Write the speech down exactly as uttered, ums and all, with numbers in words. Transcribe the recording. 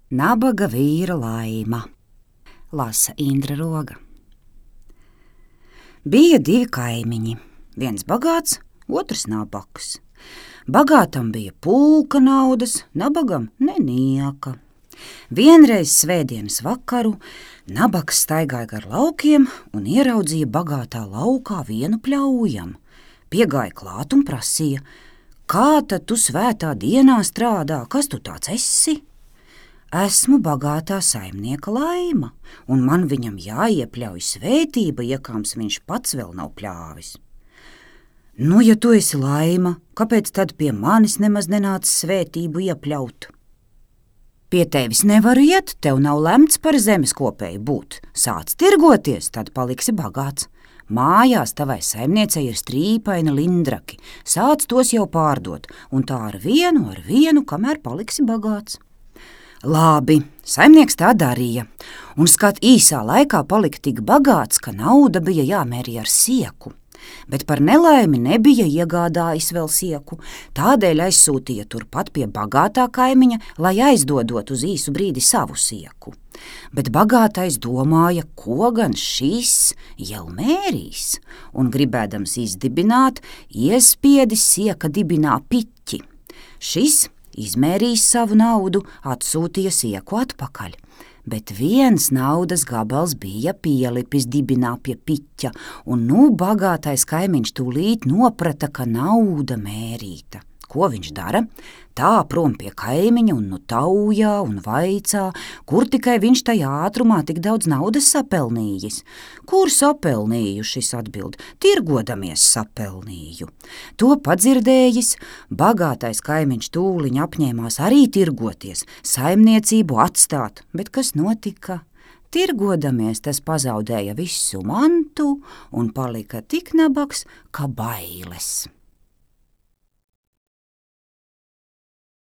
Nabaga vīra laima, lasa Indra Roga. Bija divi kaimiņi, viens bagāts, otrs nabaks. Bagātam bija pulka naudas, nabagam nenieka. Vienreiz svētdienas vakaru nabaks staigāja gar laukiem un ieraudzīja bagātā laukā vienu pļaujam. Piegāja klāt un prasīja: kā tad tu svētā dienā strādā, kas tu tāds esi? Esmu bagātā saimnieka Laima, un man viņam jāiepļauj svētība, iekāms viņš pats vēl nav pļāvis. Nu, ja tu esi Laima, kāpēc tad pie manis nemaz nenāc svētību iepļaut? Pie tevis nevaru iet, tev nav lemts par zemes kopēju būt. Sāc tirgoties, tad paliksi bagāts. Mājās tavai saimniecei ir strīpaini lindraki, sāc tos jau pārdot, un tā ar vienu, ar vienu, kamēr paliksi bagāts. Labi, saimnieks tā darīja, un skat īsā laikā palika tik bagāts, ka nauda bija jāmērī ar sieku. Bet par nelaimi nebija iegādājis vēl sieku, tādēļ aizsūtīja turpat pie bagātā kaimiņa, lai aizdodot uz īsu brīdi savu sieku. Bet bagātais domāja, ko gan šis jau mērīs, un gribēdams izdibināt, iespiedis sieka dibinā piķi. Šis izmērījis savu naudu, atsūtīja sieku atpakaļ, bet viens naudas gabals bija pielipis dibinā pie piķa, un nu bagātais kaimiņš tūlīt noprata, ka nauda mērīta. Ko viņš dara? Tā prom pie kaimiņa un nu taujā un vaicā, kur tikai viņš tajā ātrumā tik daudz naudas sapelnījis. Kur sapelnīju, šis atbild, tirgodamies sapelnīju. To padzirdējis, bagātais kaimiņš tūliņ apņēmās arī tirgoties, saimniecību atstāt, bet kas notika? Tirgodamies tas pazaudēja visu mantu un palika tik nabaks, ka bailes.